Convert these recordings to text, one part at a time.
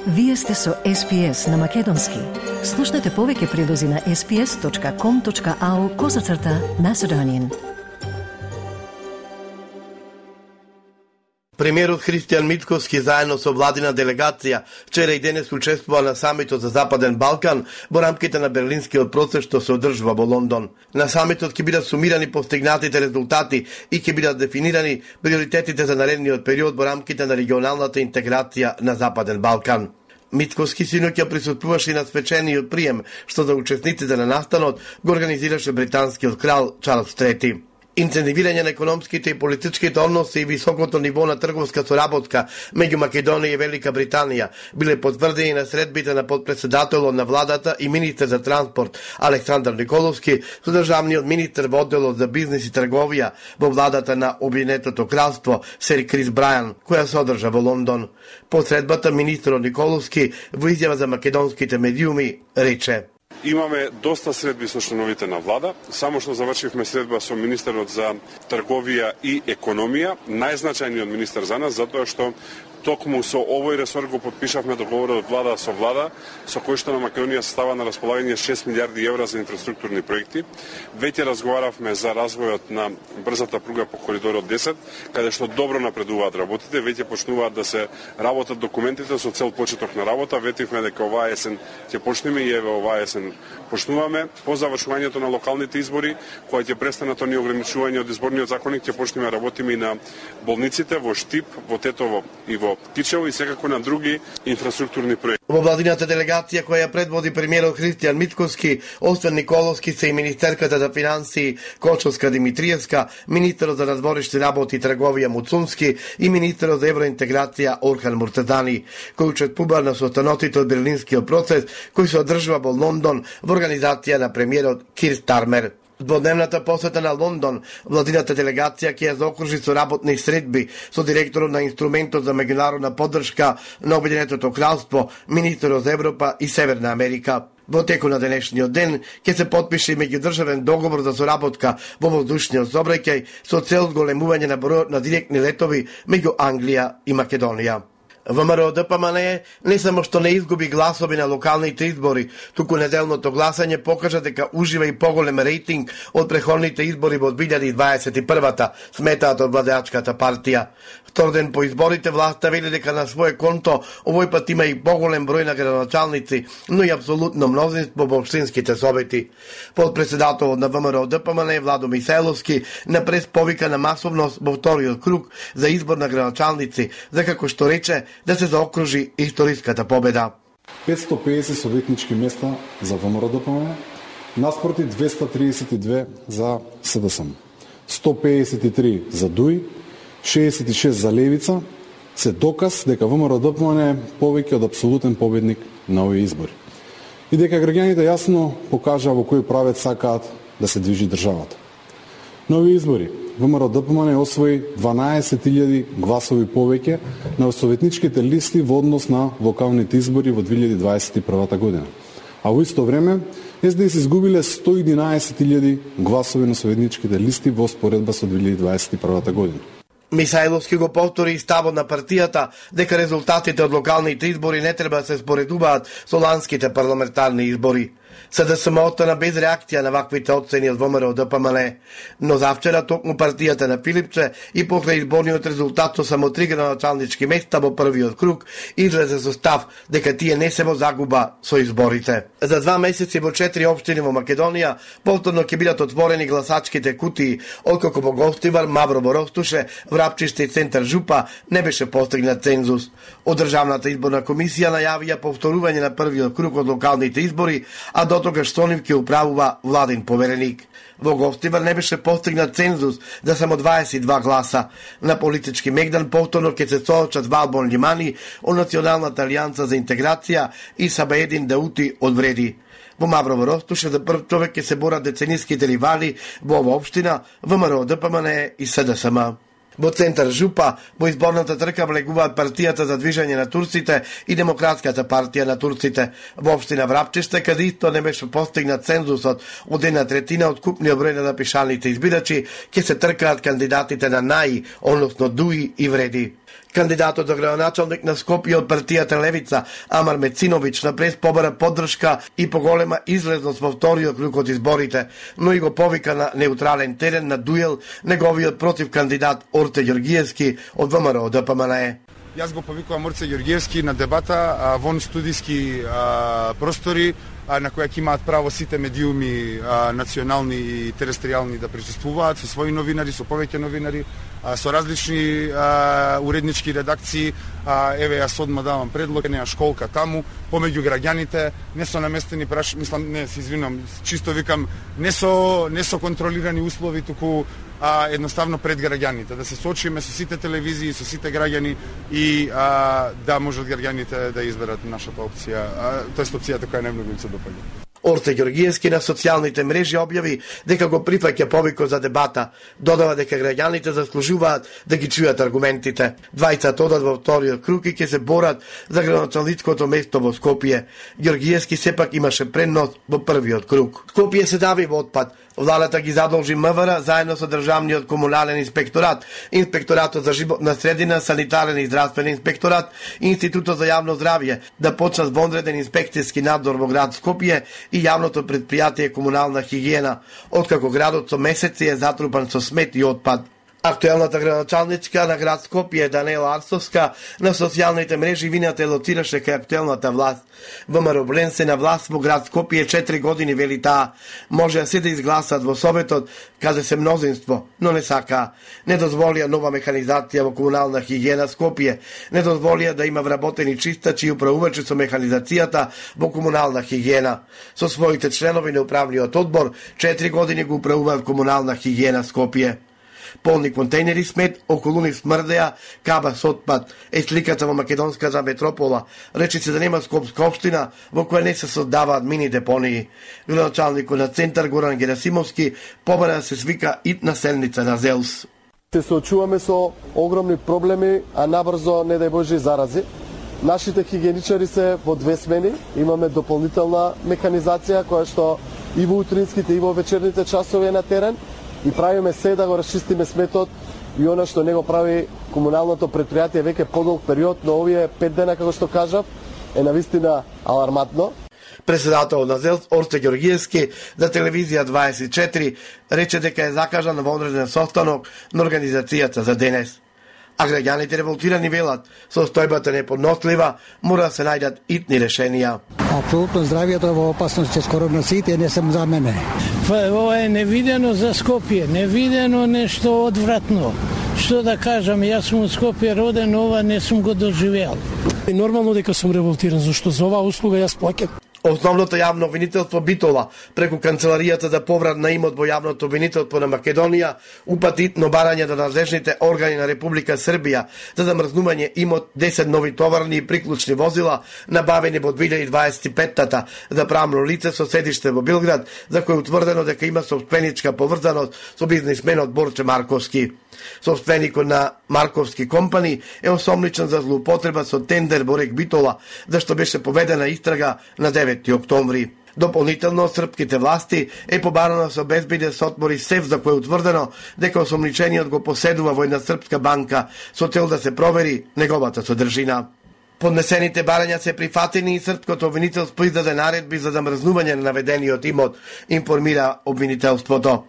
Вие сте со SPS на Македонски. Слушнете повеќе прилози на sps.com.au/Macedonian. Премиерот Христијан Мицкоски заедно со владина делегација вчера и денес учествува на самитот за Западен Балкан во рамките на Берлинскиот процес што се одржува во Лондон. На самитот ќе бидат сумирани постигнатите резултати и ќе бидат дефинирани приоритетите за наредниот период во рамките на регионалната интеграција на Западен Балкан. Мицкоски синоќа присуствуваше и на свечениот прием што за учесниците на настанот го организираше британскиот крал Чарлс III. Инцентивирање на економските и политичките односи и високото ниво на трговска соработка меѓу Македонија и Велика Британија биле потврдени на средбите на подпредседателот на владата и министер за транспорт Александар Николовски со државниот министер во одделот за бизнис и трговија во владата на Обединетото кралство Сер Крис Брајан, која се одржа во Лондон. По средбата министерот Николовски во изјава за македонските медиуми рече: Имаме доста средби со членовите на влада, само што завршивме средба со министерот за трговија и економија, најзначајниот министер за нас, затоа што токму со овој ресор го подпишавме договорот влада со кој што на Македонија става на располагање 6 милиарди евра за инфраструктурни проекти. Веќе разговаравме за развојот на брзата пруга по коридорот 10, каде што добро напредуваат работите, веќе почнуваат да се работат документите со цел почеток на работа. Ветивме дека оваа есен ќе почнеме и еве оваа есен почнуваме. По завршувањето на локалните избори, кога ќе престанат оние ограничувања од изборниот законник, ќе почнеме работиме и на болниците во Штип, во Тетово и во Кичево и секако на други инфраструктурни проекти. Во владината делегација која ја предводи премиерот Христијан Мицкоски, освен Николовски се и министерката за финансии Кочовска Димитриевска, министерот за надворешни работи и трговија Муцунски и министерот за евроинтеграција Орхан Муртазани, кој учествува на состанотите од Берлинскиот процес кој се одржува во Лондон во организација на премиерот Кир Стармер. Во дневната посета на Лондон, владината делегација ќе ја заокружи со работни средби со директорот на инструментот за меѓународна поддршка на Обединетото кралство, министерот за Европа и Северна Америка. Во теку на денешниот ден ќе се потпише меѓудржавен договор за соработка во воздушниот сообраќај со цел зголемување на бројот на директни летови меѓу Англија и Македонија. ВМРО-ДПМН не само што не изгуби гласови на локалните избори, туку неделното гласање покажа дека ужива и поголем рейтинг од претходните избори во 2021-та, сметаат од владеачката партија. Втор ден по изборите власта вели дека на своје конто овој пат има и поголем број на градоначалници, но и апсолутно мнозинство во општинските совети. Подпредседателот на ВМРО-ДПМН Владо Михајловски на прес повика на масовност во вториот круг за избор на градоначалници, за како што рече да се заокружи историската победа. 550 советнички места за ВМРО-ДПМН, наспроти 232 за СДСМ, 153 за ДУИ, 66 за Левица, се доказ дека ВМРО-ДПМН е повеќе од апсолутен победник на овие избори. И дека граѓаните јасно покажа во кој правец сакаат да се движи државата. На овие избори ВМРО-ДПМН освои 12.000 гласови повеќе на советничките листи во однос на локалните избори во 2021 година. А во исто време СДС изгубиле 111.000 гласови на советничките листи во споредба со 2021 година. Михајловски го повтори и ставот на партијата дека резултатите од локалните избори не треба да се споредуваат со ланските парламентарни избори. СДСМ остана без реакција на ваквите оцени од ВМРО-ДПМН, но завчера токму партијата на Филипче и покрај изборниот резултат со само 3 градоначалнички места во првиот круг излезе со став дека тие не се во загуба со изборите. За 2 месеци во 4 општини во Македонија повторно ќе бидат отворени гласачките кутии, откако во Гостивар, Маврово, Ростуше, Врапчиште и Центар Жупа не беше постигнат цензус. Од Државната изборна комисија најавија повторување на првиот круг од локалните избори, а до тогаш со нив ќе управува владин повереник. Во Гостивар не беше постигнат цензус за само 22 гласа. На политички мегдан повторно ќе се соочат Валбон Лимани од Националната алијанса за интеграција и Сабаедин Даути од Вреди. Во Маврово Ростуше за прв човек ќе се борат децениските ривали во ова општина, ВМРО-ДПМН и СДСМ. Во Центар Жупа, во изборната трка влегуваат партијата за движење на турците и Демократската партија на турците. Во општина Врапчиште, каде исто не беше постигнат цензусот од 1/3 од купниот број на запишаните избирачи, ќе се тркаат кандидатите на НАИ, односно ДУИ и Вреди. Кандидатот за градоначалник на Скопје од партијата Левица, Амар Мециновиќ, на прес побара поддршка и поголема излезност во вториот круг од изборите, но и го повика на неутрален терен на дуел неговиот против кандидат Орце Ѓоргиевски од ВМРО ДПМНЕ. Јас го повикувам Орце Ѓоргиевски на дебата вон студиски простори на која ќе имаат право сите медиуми национални и терестријални да присуствуваат со своји новинари, со повеќе новинари, со различни уреднички редакции. Еве јас одма давам предлог, неа школка таму помеѓу граѓаните, не со наместени чисто викам, не со контролирани услови, туку едноставно пред граѓаните, да се соочиме со сите телевизии, со сите граѓани и да можат граѓаните да изберат нашата опција, тоест опцијата која најмногу им се допаѓа. Орце Ѓоргиевски на социјалните мрежи објави дека го прифаќа повикот за дебата, додава дека граѓаните заслужуваат да ги чујат аргументите. Двајцата одат во вториот круг и ќе се борат за градоначалничкото место во Скопје. Ѓоргиевски сепак имаше предност во првиот круг. Скопје се дави во отпад. Владата ги задолжи МВР заедно со државниот комунален инспекторат, инспекторатот за животна средина, санитарен и здравствен инспекторат, Институтот за јавно здравје да почнат вонреден инспекцијски надзор во град Скопје и јавното предпријатие комунална хигиена, откако градот со месеци е затрупан со смет и отпад. Актуелната градоначалничка на град Скопје, Данела Арсовска, на социјалните мрежи вината лоцираше кај актуелната власт. ВМРО Блен се на власт во град Скопје 4 години, вели таа. Може се да изгласат во Советот, каде се мнозинство, но не сака. Не дозволија нова механизација во комунална хигиена Скопје. Не дозволија да има вработени чистачи и управувачи со механизацијата во комунална хигиена. Со своите членови на управниот одбор 4 години го управуваат комунална хигиена Скопје. Полни контейнери смет, околу нив смрдеа, каба со отпад, е сликата во македонската метропола. Речи се да нема Скопска општина во која не се создаваат мини депонии. Градоначалникот на центар Горан Герасимовски побара да се свика итна седница на ЗЕЛС. Се соочуваме со огромни проблеми, а набрзо, не дај Боже, зарази. Нашите хигиеничари се во 2 смени, имаме дополнителна механизација која што и во утринските и во вечерните часови е на терен. И правиме се да го расчистиме сметот и она што не го прави комуналното предпријатие веќе подолг период, но овие 5 дена, како што кажав, е навистина аларматно. Председател на ЗЕЛС Орце Ѓоргиевски за телевизија 24 рече дека е закажан вонреден состанок на организацијата за денес. А граѓаните револтирани велат, состојбата неподнослива, мора да се најдат итни решенија. Апсолутно здравјето е во опасност, че скоро носите не сам за мене. Ова е невидено за Скопје, невидено нешто одвратно. Што да кажам, јас сум од Скопје роден, ова не сум го доживеал. И нормално дека сум револтиран, зашто за оваа услуга јас плаќам. Основното јавно обвинителство Битола преку Канцеларијата за поврат на имот во јавното обвинителство на Македонија упати итно барање до надлежните органи на Република Србија за замрзнување имот 10 нови товарни и приклучни возила набавени во 2025-тата за правно лице со седиште во Белград, за кој утврдено дека има сопственичка поврзаност со бизнисменот Борче Марковски. Собственикот на Марковски компани е осомничен за злоупотреба со тендер во Рек Битола, зашто беше поведена истрага на 9 октомври. Дополнително српските власти е побарано со безбеден сотвори сеф за кој е утврдено дека осомничениот го поседува во една српска банка со цел да се провери неговата содржина. Поднесените барања се прифатени и српското обвинителство издаде наредби за замрзнување на наведениот имот, информира обвинителството.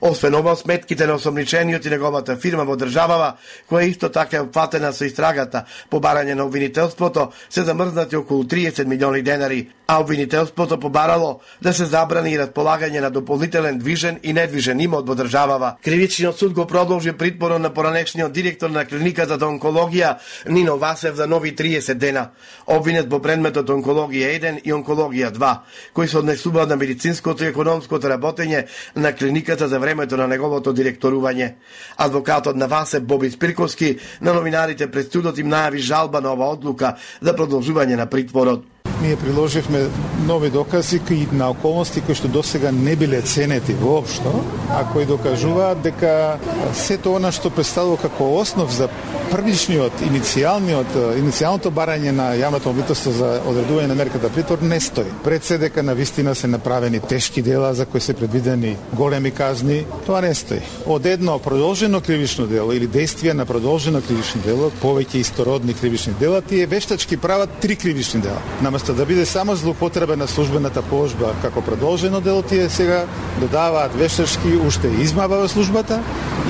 Освен ова, сметките на осомничениот и неговата фирма во државава, која исто така е опфатена со истрагата по барање на обвинителството, се замрзнати околу 30 милиони денари, а обвинителството побарало да се забрани и располагање на дополнителен движен и недвижен имот во државава. Кривичниот суд го продолжи притворот на поранешниот директор на клиниката за онкологија Нино Васев за нови 30 дена. Обвинет во предметот онкологија 1 и онкологија 2, кои се однесуваат на медицинското и економското работење на клиниката за времето на неговото директорување. Адвокатот на Васев Боби Спирковски на новинарите пред судот им најави жалба на ова одлука за продолжување на притворот. ние приложивме нови докази и на околности кои што досега не биле ценети воопшто, а кои докажуваат дека сето она што представува како основ за првичниот, иницијалното барање на јавното обвинителство за одредување на мерката притвор не стои. Пред се дека на вистина се направени тешки дела за кои се предвидени големи казни, тоа не стои. Од едно продолжено кривично дело или действие на продолжено кривично дело, повеќе истородни кривични дела, тие вештачки прават 3 кривични дела. Наместо да биде само злоупотреба на службената положба како продолжено дело, тие сега додаваат вештачки уште измама во службата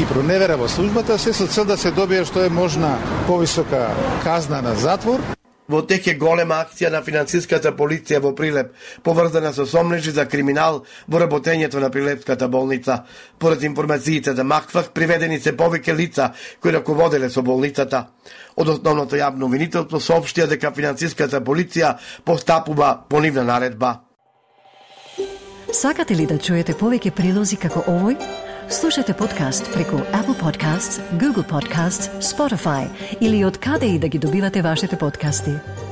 и проневера во службата, се со цел да се добие што е можна повисока казна на затвор. Во тек е голема акција на финансиската полиција во Прилеп, поврзана со сомнежи за криминал во работењето на Прилепската болница. Поред информациите за МАКФАК, приведени се повеќе лица кои раководеле со болницата. Од основното јавно обвинителство соопштија дека финансиската полиција постапува по нивна наредба. Сакате ли да чуете повеќе прилози како овој? Слушате подкаст преку Apple Podcasts, Google Podcasts, Spotify или од каде и да ги добивате вашите подкасти.